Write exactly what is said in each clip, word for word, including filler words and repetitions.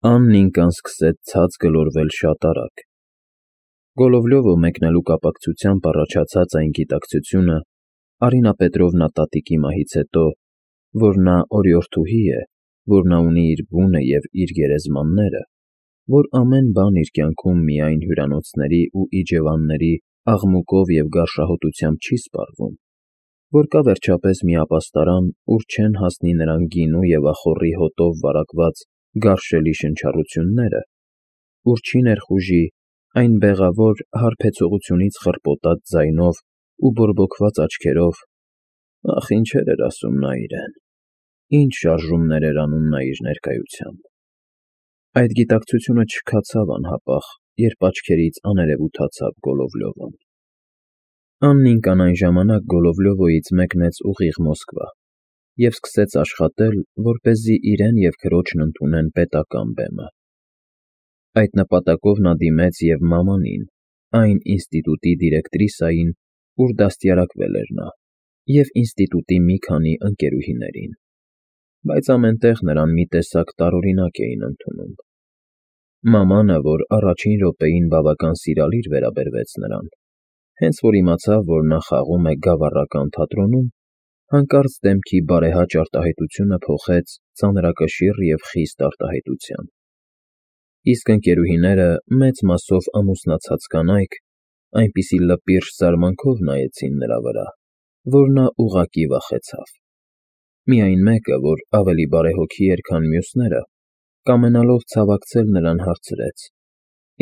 Աննիկան սկսեց ցած գլորվել շատ արագ։ Գոլովլյովը մեկնելու կապակցությամբ առաջացած այն գիտակցությունը Արինա Պետրովնա տատիկի մահից հետո, որ նա օրիորդուհի է, որ նա ունի իր բունը և իր գերեզմանները, որ ամեն բան իր կյանքում միայն հյուրանոցների ու իջևանների աղմուկով և գարշահոտությամբ չի սպառվում, որ կա վերջապես մի ապաստարան, ուր չեն հասնի նրան գինու և ախոռի հոտով վարակված գարշելի շնչառությունները, ուր չի ներխուժի այն բեղավոր, հարբեցողությունից խռպոտած ձայնով ու բորբոքված աչքերով (ախ, ինչեր էր ասում նա իրեն, ինչ շարժումներ էր անում նա իր ներկայությամբ)։ Այդ գիտակցությունը չքացավ անհապաղ, երբ աչքերից աներևութացավ Գոլովլյովն։ Աննիկան այն ժամանակ Գոլովլյովոյից մեկնեց ուղիղ Մոսկվա և սկսեց աշխատել, որպեսզի իրեն և քրոջն ընդունեն պետական բեմը։ Այդ նպատակով նա դիմեց և մամանին, այն ինստիտուտի դիրեկտրիսային, ուր դաստիարակվել էր նա, և ինստիտուտի մի քանի ընկերուհիներին, բայց ամեն տեղ նրան մի տեսակ տարօրինակ էին ընդունում։ Մամանը, որ առաջին րոպեին բավական սիրալիր վերաբերվեց նրան, հենց որ իմացավ, որ նա խաղում է գավառական թատրոնում, հանկարծ դեմքի բարեհաճ արտահայտությունը փոխեց ծանրակշիռ և խիստ արտահայտության, իսկ ընկերուհիները, մեծ մասով ամուսնացած կանայք, այնպիսի լպիրշ զարմանքով նայեցին նրա վրա, որ նա ուղղակի վախեցավ։ Միայն մեկը, որ ավելի բարեհոգի էր, քան մյուսները, կամենալով ցավակցել նրան, հարցրեց.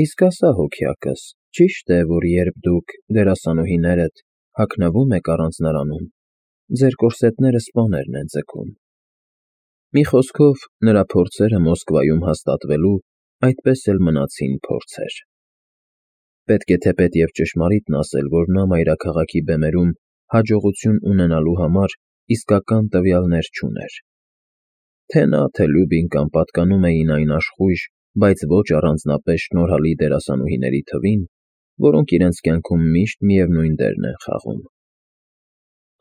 «Իսկ ասա, հոգյակս, ճի՞շտ է, որ երբ դուք, դերասանուհիներդ, հագնվում եք առանձնարանում, ձեր կորսետները սպաներն են ձգում»։ Մի խոսքով, նրա փորձերը Մոսկվայում հաստատվելու այդպես էլ մնացին փորձեր։ Պետք է թեպետ և ճշմարիտն ասել, որ նա մայրաքաղաքի բեմերում հաջողություն ունենալու համար իսկական տվյալներ չուներ։ Թե նա, թե Լյուբինկան պատկանում էին այն աշխույժ, բայց ոչ առանձնապես շնորհալի դերասանուհիների թվին, որոնք իրենց կյանքում միշտ միևնույն դերն են խաղում։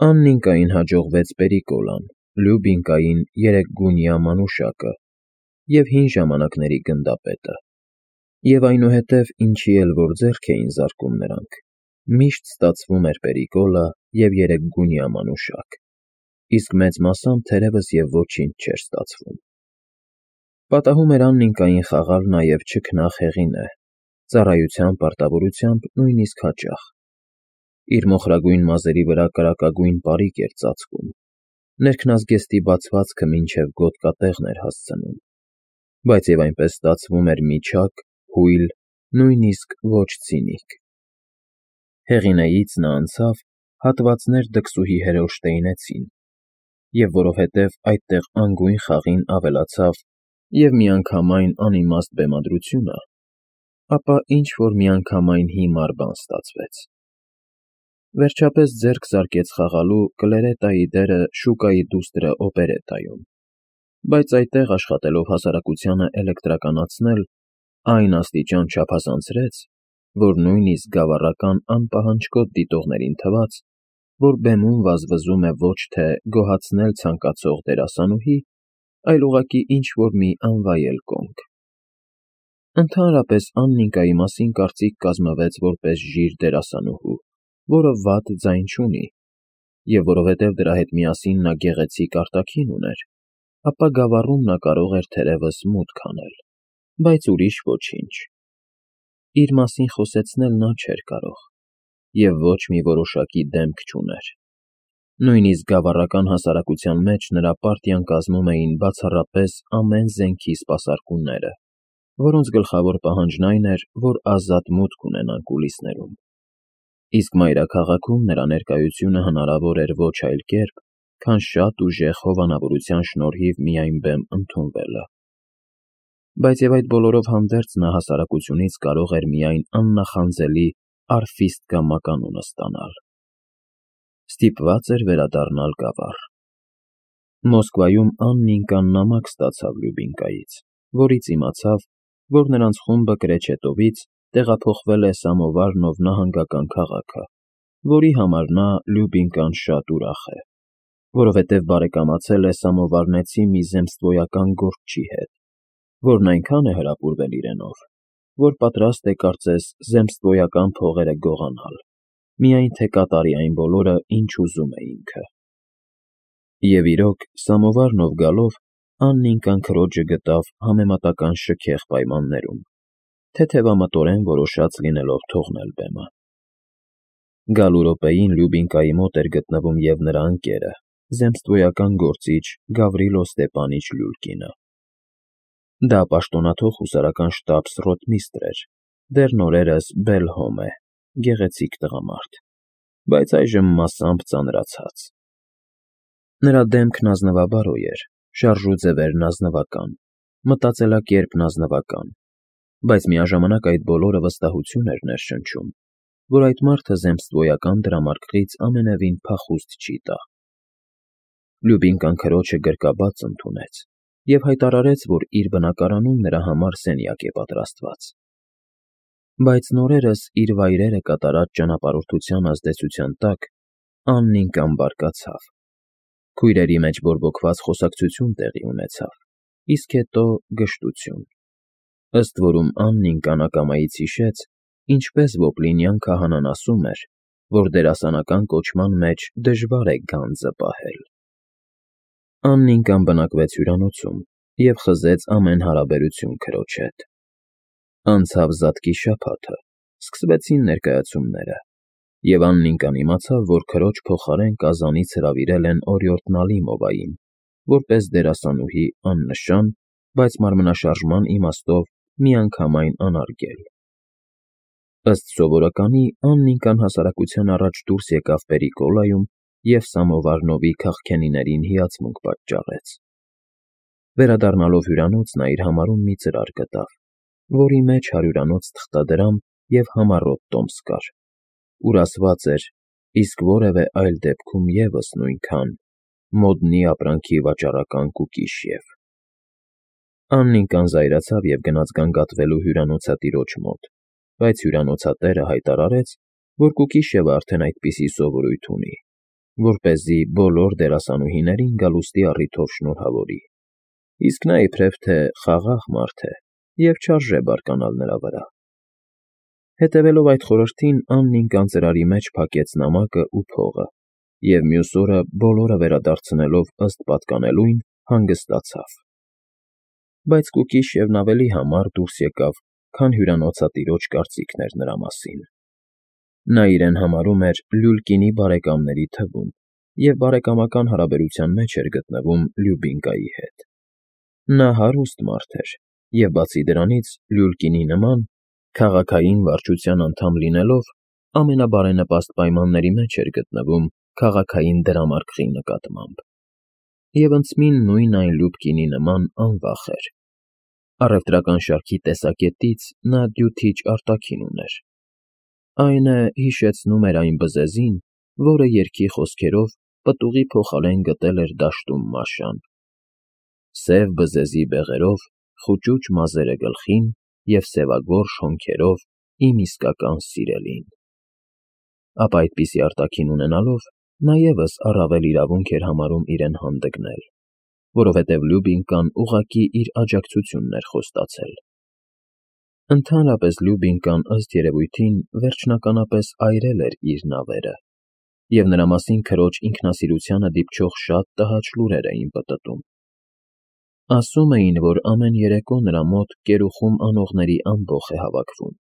Աննիկային հաջողվեց Պերիկոլան, Լյուբինկային երեկգունյա մանուշակը և հին ժամանակների գնդապետը, և այնուհետև ինչի էլ որ ձեռք էին զարկում նրանք, միշտ ստացվում էր Պերիկոլը և երեկգունյա մանուշակ, իսկ մեծ մասամբ թերևս և ոչինչ չէր ստացվում։ Պատահում էր Աննիկային խաղալ նաև չքնաղ Հեղինե, ծառայության պարտավորությամբ նույնիսկ հաճախ։ Իր մոխրագույն մազերի վրա կրակագույն պարիկ էր ծածկում, ներքնազգեստի բացվածքը մինչև գոտկատեղն էր հասցնում, բայց և այնպես ստացվում էր միջակ, հույլ, նույնիսկ ոչ ցինիկ։ Հեղինեից նա անցավ, հատվածներ դքսուհի հերոշտեյնեցին, և որովհետև այդտեղ անգույն խաղին ավելացավ և միանգամայն անիմաստ բեմադրությունը, ապա ինչ֊որ միանգամայն հիմար բան ստացվեց։ Վերջապես ձեռք զարկեց խաղալու Կլերետայի դերը Շուկայի դուստրը օպերետայում, բայց այդտեղ աշխատելով հասարակությանը էլեկտրականացնել, այն աստիճան չափազանցրեց, որ նույնիսկ գավառական անպահանջկոտ դիտողներին թվաց, որ բեմում վազվզում է ոչ թե գոհացնել ցանկացող դերասանուհի, այլ ուղղակի ինչ֊որ մի անվայել կոնք։ Ընդհանրապես Աննիկայի մասին կարծիք կազմվեց որպես ժիր դերասանուհու, որը վատ ձայն չունի, և որովհետև դրա հետ միասին նա գեղեցիկ արտաքին ուներ, ապա գավառում նա կարող էր թերևս մուտք անել, բայց ուրիշ ոչինչ։ Իր մասին խոսեցնել նա չէր կարող և ոչ մի որոշակի դեմք չուներ։ Նույնիսկ գավառական հասարակության մեջ նրա պարտիան կազմում էին բացառապես ամեն զենքի սպասարկուները, որոնց գլխավոր պահանջն այն էր, որ ազատ մուտք ունենան կուլիսներում, իսկ մայրաքաղաքում նրա ներկայությունը հնարավոր էր ոչ այլ կերպ, քան շատ ուժեղ հովանավորության շնորհիվ միայն բեմ ընդունվելը։ Բայց և այդ բոլորով հանդերձ նա հասարակությունից կարող էր միայն աննախանձելի արֆիստկա մականունը ստանալ։ Ստիպված էր վերադառնալ գավառ։ Մոսկվայում Աննիկան նամակ ստացավ Լյուբինկայից, որից իմացավ, որ նրանց խումբը Կրեչետովից տեղափոխվել է Սամովարնով նահանգական քաղաքը, որի համար նա՝ Լյուբինկան, շատ ուրախ է, որովհետև բարեկամացել է սամովարնեցի մի զեմստվոյական գործչի հետ, որն այնքան է հրապուրվել իրենով, որ պատրաստ է կարծես զեմստվոյական փողերը գողանալ, միայն թե կատարի այն բոլորը, ինչ ուզում է ինքը։ Եվ իրոք, սամովարնով գալով, Աննիկան քրոջը գտավ համեմատական շքեղ պայմաններում, թեթևամտորեն որոշած լինելով թողնել բեմը։ Գալու րոպեին Լյուբինկայի մոտ էր գտնվում և նրա ընկերը, զեմստվոյական գործիչ Գավրիլո Ստեպանիչ Լյուլկինը։ Դա պաշտոնաթող հուսարական շտաբս֊ռոտմիստր էր, դեռ նորերս Բելհոմ է, գեղեցիկ տղամարդ, բայց այժմ մասամբ ծանրացած։ Նրա դեմքն ազնվաբարոյ էր, շարժուձևերն ազնվական, մտածելակերպն ազնվական, բայց միաժամանակ այդ բոլորը վստահություն էր ներշնչում, որ այդ մարդը զեմստվոյական դրամարկղից ամենևին փախուստ չի տա։ Լյուբինկան քրոջը գրկաբաց ընդունեց և հայտարարեց, որ իր բնակարանում նրա համար սենյակ է պատրաստված։ Բայց նորերս իր վայրերը կատարած ճանապարհորդության ազդեցության տակ Աննիկան բարկացավ։ Քույրերի մեջ բորբոքված խոսակցություն տեղի ունեցավ, իսկ հետո գժտություն, ըստ որում Աննիկան ակամայից հիշեց, ինչպես Ոպլինյան քահանան ասում էր, որ դերասանական կոչման մեջ դժվար է գանձը պահել։ Աննիկան բնակվեց հյուրանոցում և խզեց ամեն հարաբերություն քրոջ հետ։ Անցավ զատկի շաբաթը, սկսվեցին ներկայացումները, և Աննիկան իմացավ, որ քրոջ փոխարեն Կազանից հրավիրել են օրիորդ Նալիմովային, որպես դերասանուհի աննշան, բայց մարմնաշարժման իմաստով միանգամայն անարգել։ Ըստ սովորականի, Աննիկան հասարակության առաջ դուրս եկավ Պերիկոլայում և Սամովարնովի քաղքենիներին հիացմունք պատճառեց։ Վերադառնալով հյուրանոց նա իր համարում մի ծրար գտավ, որի մեջ հարյուրանոց թղթադրամ և համառոտ տոմս կար, ուր ասված էր, իսկ որևէ այլ դեպքում ևս նույնքան, մոդնի ապրանքի վաճառական Կուկիշև։ Աննիկան զայրացավ և գնաց գանգատվելու հյուրանոցատիրոջ մոտ, բայց հյուրանոցատերը հայտարարեց, որ Կուկիշևը արդեն այդպիսի սովորույթ ունի, որպեսզի բոլոր դերասանուհիներին գալուստի առիթով շնորհավորի, իսկ նա իբրև թե խաղաղ մարդ է և չարժե բարկանալ նրա վրա։ Հետևելով այդ խորհրդին, Աննիկան ծրարի մեջ փակեց նամակը ու փողը և մյուս օրը բոլորը վերադարձնելով ըստ պատկանելույն հանգստացավ։ Բայց Կուկիշևն ավելի համառ դուրս եկավ, քան հյուրանոցատիրոջ կարծիքն էր նրա մասին։ Նա իրեն համարում էր Լյուլկինի բարեկամների թվում և բարեկամական հարաբերության մեջ էր գտնվում Լյուբինկայի հետ։ Նա հարուստ մարդ էր և, բացի դրանից, Լյուլկինի նման, քաղաքային վարչության անդամ լինելով, ամենաբարենպաստ պայմանների մեջ էր գտնվում քաղաքային դրամարկղի նկատմամբ։ Եվ ընդցմին նույն այն Լյուբկինի նման անվախ էր։ Առևտրական շարքի տեսակետից նա դյութիչ արտաքին ուներ։ Այն է, հիշեցնում էր այն բզեզին, որը, երգի խոսքերով, պտուղի փոխարեն գտել էր դաշտում Մաշան։ Սև բզեզի բեղերով, խուճուճ մազերը գլխին և սևագորշ հոնքերով իմ իսկական սիրելին։ Ապա այդպիսի արտաքին ունենալով, նա ևս առավել իրավունք էր համարում իրեն հանդգնել, որովհետև Լյուբինկան ուղղակի իր աջակցությունն էր խոստացել։ Ընդհանրապես Լյուբինկան, ըստ երևույթին, վերջնականապես այրել էր իր նավերը, և նրա մասին քրոջ ինքնասիրությանը դիպչող շատ տհաճ լուրեր էին պտտում։ Ասում էին, որ ամեն երեկո նրա մոտ կերուխում անողների ամբոխ է հավաքվում,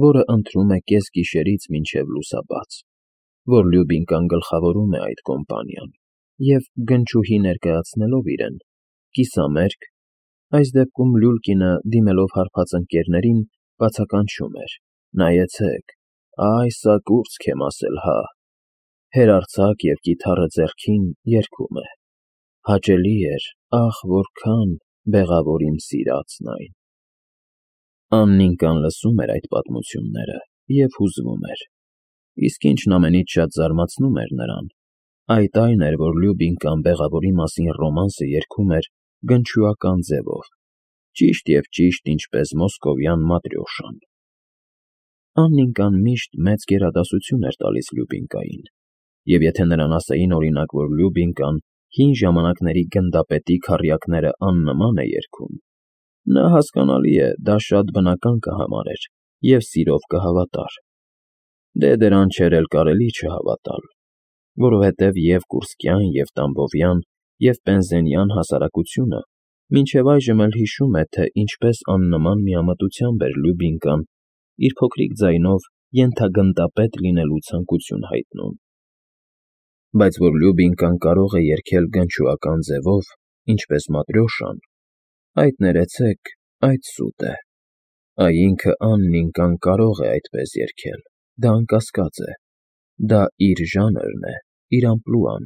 որը ընթրում է կեսգիշերից մինչև լուսաբաց, որ Լյուբինկան գլխավորում է այդ կոմպանիան և, գնչուհի ներկայացնելով իրեն, կիսամերկ, այս դեպքում Լյուլկինը, դիմելով հարբած ընկերներին, բացականչում էր. «Նայեցեք, ա՛յ սա կուրծք եմ ասել, հա», հերարձակ և կիթառը ձեռքին երգում է. «Հաճելի էր, ախ, որքան, բեղավոր իմ սիրածն այն»։ Աննիկան լսում էր այդ պատմությունները և հուզվում էր, իսկ ինչն ամենից շատ զարմացնում էր նրան, այդ այն էր, որ Լյուբինկան բեղավորի մասին ռոմանսը երգում էր գնչուական ձևով, ճիշտ և ճիշտ ինչպես մոսկովյան Маտրյոշան։ Աննիկան միշտ մեծ գերադասություն էր տալիս Լյուբինկային, և եթե նրան ասեին, օրինակ, որ Լյուբինկան հին ժամանակների գնդապետի քառյակները աննման է երգում, Նա, հասկանալի է, դա շատ բնական կհամարեր և սիրով կհավատար. դե դրան չէր էլ կարելի չհավատալ, որովհետև և կուրսկյան, և տամբովյան, և պենզենյան հասարակությունը մինչև այժմ էլ հիշում է, թե ինչպես աննման միամտությամբ էր Լյուբինկան իր փոքրիկ ձայնով ենթագնդապետ լինելու ցանկություն հայտնում, բայց որ Լյուբինկան կարող է երգել գնչուական ձևով, ինչպես Маտրյոշան, այդ ներեցեք, այդ սուտ է, այ ինքը Աննիկան կարող է այդպես երգել, դա անկասկած է, դա իր ժանրն է, իր ամպլուան,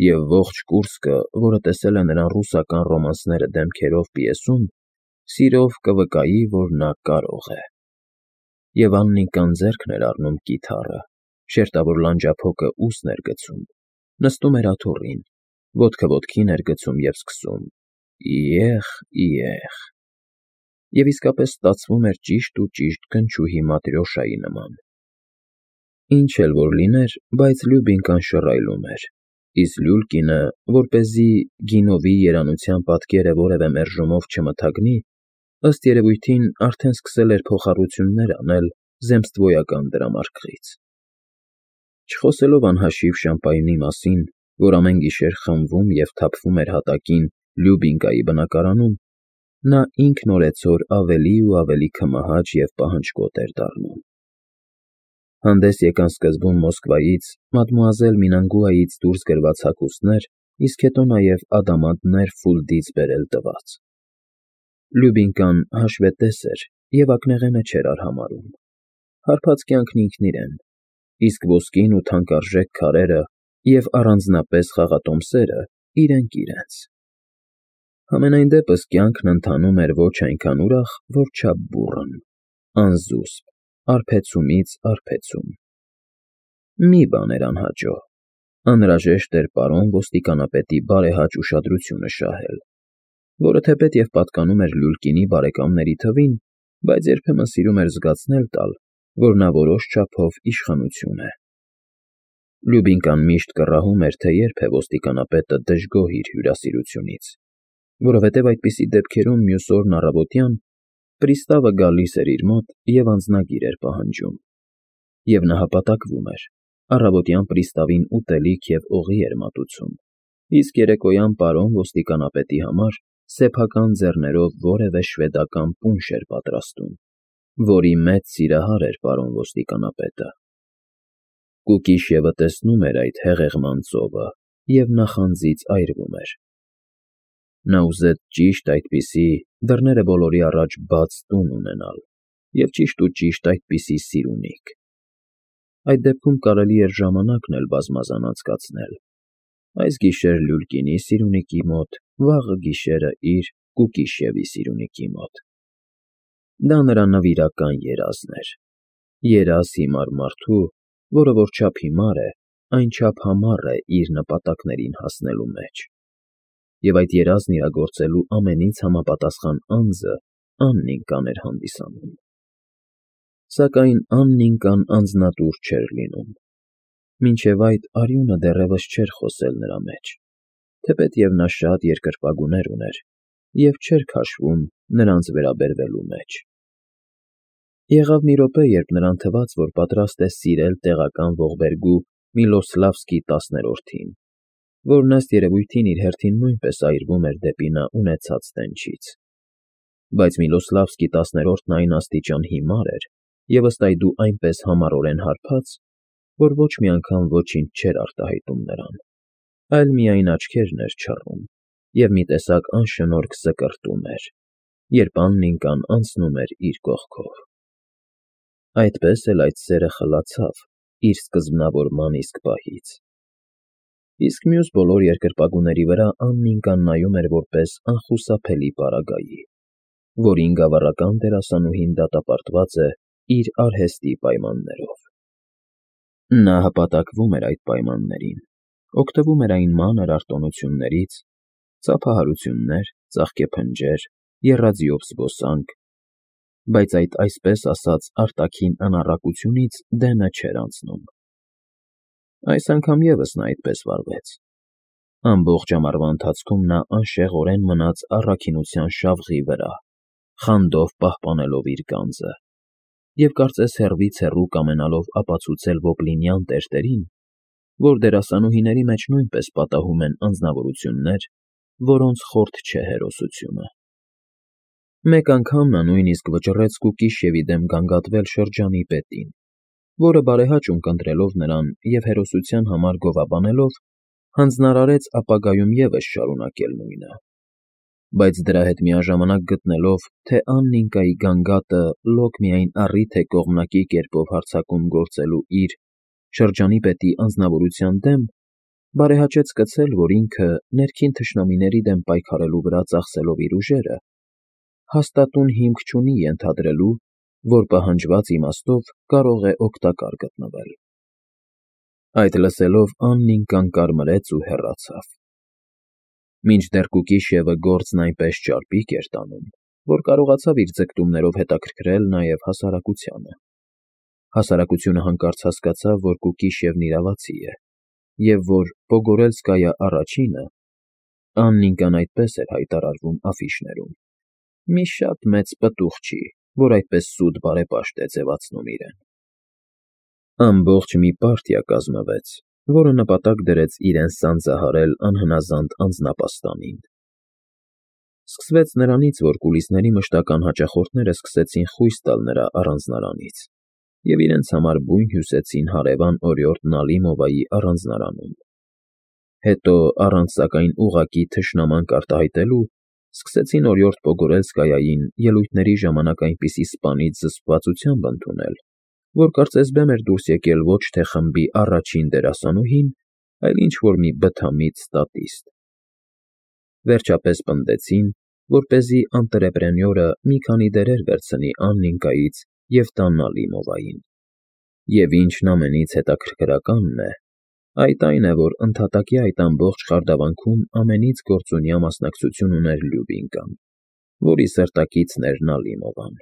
և ողջ կուրսքը, որը տեսել է նրան ռուսական ռոմանսները դեմքերով պիեսում, սիրով կվկայի, որ նա կարող է։ Եվ Աննիկան ձեռքն էր առնում կիթառը, շերտավոր լանջափոկը ուսն էր գցում, նստում էր աթոռին, ոտքը ոտքին էր գցում և սկսում. «Իեղ, իեղ», և իսկապես ստացվում էր ճիշտ ու ճիշտ գնչուհի Маտրյոշայի նման։ Ինչ էլ որ լիներ, բայց Լյուբինկան շռայլում էր, իսկ Լյուլկինը, որպեսզի գինովի երանության պատկերը որևէ մերժումով չմթագնի, ըստ երևույթին արդեն սկսել էր փոխառություններ անել զեմստվոյական դրամարկղից։ Չխոսելով անհաշիվ Շամպայնի մասին, որ ամեն գիշեր խմվում և թափվում էր հատակին Լյուբինկայի բնակարանում, նա ինքն օրեցօր ավելի ու ավելի քմահաճ և պահանջկոտ էր դառնում։ Հանդես եկան սկզբում Մոսկվայից, մադմուազել Մինանգուայից դուրս գրված հագուստներ, իսկ հետո նաև ադամանդներ Ֆուլդից բերել տված։ Լյուբինկան հաշվետես էր և ակնեղենը չէր արհամարհում։ Հարբած կյանքն ինքն իրեն, իսկ ոսկին ու թանկարժեք քարերը և առանձնապես խաղատոմսերը իրենք իրենց։ Համենայն դեպս կյանքն ընթանում էր ոչ այնքան ուրախ, որչափ բուռն, անզուսպ, արբեցումից արբեցում։ Մի բան էր անհաջող. անհրաժեշտ էր պարոն ոստիկանապետի բարեհաճ ուշադրությունը շահել, որը թեպետ և պատկանում էր Լյուլկինի բարեկամների թվին, բայց երբեմն սիրում էր զգացնել տալ, որ նա որոշ չափով իշխանություն է։ Լյուբինկան միշտ կռահում էր, թե երբ է ոստիկանապետը դժգոհ իր հյուրասիրությունից, որովհետև այդպիսի դեպքերում մյուս օրն առավոտյան պրիստավը գալիս էր իր մոտ և անձնագիր էր պահանջում, և նա հպատակվում էր, առավոտյան պրիստավին ուտելիք և օղի էր մատուցում, իսկ երեկոյան պարոն ոստիկանապետի համար սեփական ձեռներով որևէ շվեդական պունշ էր պատրաստում, որի մեծ սիրահար էր պարոն ոստիկանապետը։ Կուկիշևը տեսնում էր այդ հեղեղման ծովը և նախանձից այրվում էր։ Նա ուզեց ճիշտ այդպիսի, դռները բոլորի առաջ բաց տուն ունենալ և ճիշտ ու ճիշտ այդպիսի սիրունիկ։ Այդ դեպքում կարելի էր ժամանակն էլ բազմազան անցկացնել, այս գիշեր Լյուլկինի սիրունիկի մոտ, վաղը գիշերը իր՝ Կուկիշևի սիրունիկի մոտ։ Դա նրա նվիրական երազն էր, երազ հիմար մարդու, որը որչափ հիմար է, այնչափ համառ է իր նպատակներին հասնելու մեջ։ Եվ այդ երազն իրագործելու ամենից համապատասխան անձը Աննիկան էր հանդիսանում։ Սակայն Աննիկան անձնատուր չէր լինում։ Մինչև այդ արյունը դեռևս չէր խոսել նրա մեջ, թեպետ և նա շատ երկրպագուներ ուներ և չէր քաշվում նրանց վերաբերվելու մեջ։ Եղավ մի րոպե, երբ նրան թվաց, որ պատրաստ է սիրել տեղական ողբերգու Միլոսլավսկի տասներորդին, որն ըստ երևույթին իր հերթին նույնպես այրվում էր դեպի նա ունեցած տենչից։ Բայց Միլոսլավսկի տասներորդն այն աստիճան հիմար էր և ըստ այդու այնպես համառորեն հարբած, որ ոչ մի անգամ ոչինչ չէր արտահայտում նրան, այլ միայն աչքերն էր չռում և մի տեսակ անշնորհք սկրտում էր, երբ Աննիկան անցնում էր իր կողքով։ Այդպես էլ այդ սերը խլացավ իր սկզբնավորման իսկ պահից։ Իսկ մյուս բոլոր երկրպագուների վրա Աննիկան նայում էր որպես անխուսափելի պարագայի, որին գավառական դերասանուհին դատապարտված է իր արհեստի պայմաններով։ Նա հպատակվում էր այդ պայմաններին, օգտվում էր այն մանր արտոնություններից՝ ծափահարություններ, ծաղկեփնջեր, եռաձիով զբոսանք, բայց այդ այսպես ասած արտաքին անառակությունից դենը չէր անցնում։ Այս անգամ ևս նա այդպես վարվեց։ Ամբողջ ամառվա ընթացքում նա անշեղորեն մնաց առաքինության շավղի վրա, խանդով պահպանելով իր գանձը, և կարծես հեռվից հեռու կամենալով ապացուցել Ոպլինյան տերտերին, որ դերասանուհիների մեջ նույնպես պատահում են անձնավորություններ, որոնց խորթ չէ հերոսությունը։ Մեկ անգամ նա նույնիսկ վճռեց Կուկիշևի դեմ գանգատվել շրջանի պետին, որը բարեհաճ ունկնդրելով նրան և հերոսության համար գովաբանելով, հանձնարարեց ապագայում ևս շարունակել նույնը, բայց դրա հետ միաժամանակ գտնելով, թե Աննիկայի գանգատը լոկ միայն առիթ է կողմնակի կերպով հարձակում գործելու իր՝ շրջանի պետի անձնավորության դեմ, բարեհաճեց սկսել, որ ինքը, ներքին թշնամիների դեմ պայքարելու վրա ծախսելով իր ուժերը, հաստատուն հիմք չունի ենթադրելու, որ պահանջված իմաստով կարող է օգտակար գտնվել։ Այդ լսելով Աննիկան կարմրեց ու հեռացավ։ Մինչդեռ Կուկիշևը գործն այնպես ճարպիկ էր տանում, որ կարողացավ իր ձգտումներով հետաքրքրել նաև հասարակությանը։ Հասարակությունը հանկարծ հասկացավ, որ Կուկիշևն իրավացի է, և որ Պոգորելսկայա առաջինը (Աննիկան այդպես էր հայտարարվում աֆիշներում) մի շատ մեծ պտուղ չի, որ այդպես սուտ բարեպաշտ է ձևացնում իրեն։ Ամբողջ մի պարտիա կազմվեց, որը նպատակ դրեց իրեն սանձահարել անհնազանդ անձնապաստանին։ Սկսվեց նրանից, որ կուլիսների մշտական հաճախորդները սկսեցին խույս տալ նրա առանձնարանից և իրենց համար բույն հյուսեցին հարևան օրիորդ Նալիմովայի առանձնարանում։ Հետո, առանց սակայն ուղղակի թշնամանք արտահայտելու, սկսեցին օրիորդ Պոգորելսկայային ելույթների ժամանակ այնպիսի սպանիչ զսպվածությամբ ընդունել, որ կարծես բեմ էր դուրս եկել ոչ թե խմբի առաջին դերասանուհին, այլ ինչ֊որ մի բթամիտ ստատիստ։ Վերջապես պնդեցին, որպեսզի անտրեպրենյորը մի քանի դերեր վերցնի Աննիկայից և տա Նալիմովային։ Եվ ինչն ամենից հետաքրքրականն է, այդ այն է, որ ընդհատակի այդ ամբողջ խարդավանքում ամենից գործունյա մասնակցություն ուներ Լյուբինկան, որի սրտակիցն էր Նալիմովան։